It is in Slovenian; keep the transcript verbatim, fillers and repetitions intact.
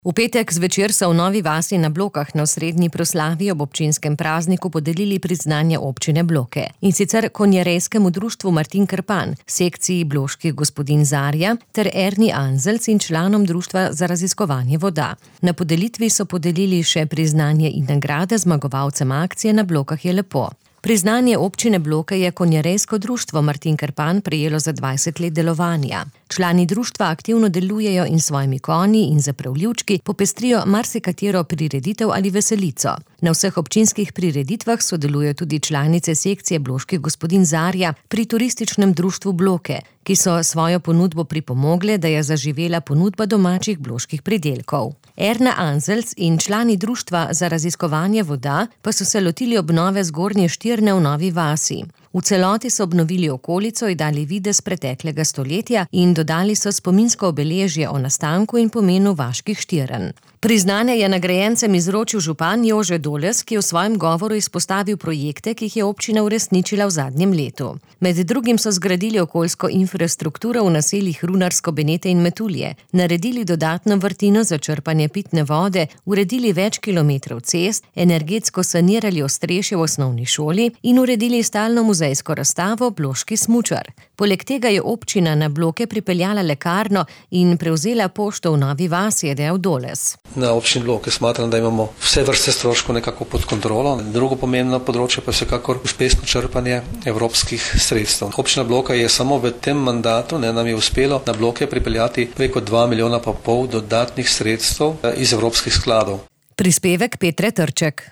V petek zvečer so v Novi vasi na Blokah na osrednji proslavi ob občinskem prazniku podelili priznanje občine Bloke. In sicer konjerejskemu društvu Martin Krpan, sekciji Bloških gospodinj Zarja ter Erni Anzelc in članom Društva za raziskovanje voda. Na podelitvi so podelili še priznanje in nagrade zmagovalcem akcije Na Blokah je lepo. Priznanje občine Bloke je konjerejsko društvo Martin Krpan prejelo za dvajset let delovanja. Člani društva aktivno delujejo in svojimi konji in zapravljivčki popestrijo marsikatero prireditev ali veselico. Na vseh občinskih prireditvah sodelujo tudi članice sekcije Bloških gospodinj Zarja pri turističnem društvu Bloke, ki so svojo ponudbo pripomogle, da je zaživela ponudba domačih bloških pridelkov. Erna Anzelc in člani Društva za raziskovanje voda pa so se lotili obnove Zgornje Štirne v Novi vasi. V celoti so obnovili okolico in dali videz preteklega stoletja in dodali so spominsko obeležje o nastanku in pomenu vaških Štirn. Priznanje je nagrajencem izročil župan Jože Doles, ki je v svojem govoru izpostavil projekte, ki jih je občina uresničila v zadnjem letu. Med drugim so zgradili okoljsko infrastrukturo v naseljih Runarsko, Benete in Metulje, naredili dodatno vrtino za črpanje pitne vode, uredili več kilometrov cest, energetsko sanirali ostrešje v osnovni šoli in uredili stalno muzejsko razstavo Bloški smučar. Poleg tega je občina na Bloke pripeljala lekarno in prevzela pošto v Novi vasi, je dejal Doles. Na občini Bloke smatram, da imamo vse vrste stroškov nekako pod kontrolo. Drugo pomembno področje pa je vsekakor uspešno črpanje evropskih sredstev. Občina Bloka je samo v tem mandatu, ne, nam je uspelo na Bloke pripeljati preko dva milijona pa pol dodatnih sredstev iz evropskih skladov. Prispevek Petre Trček.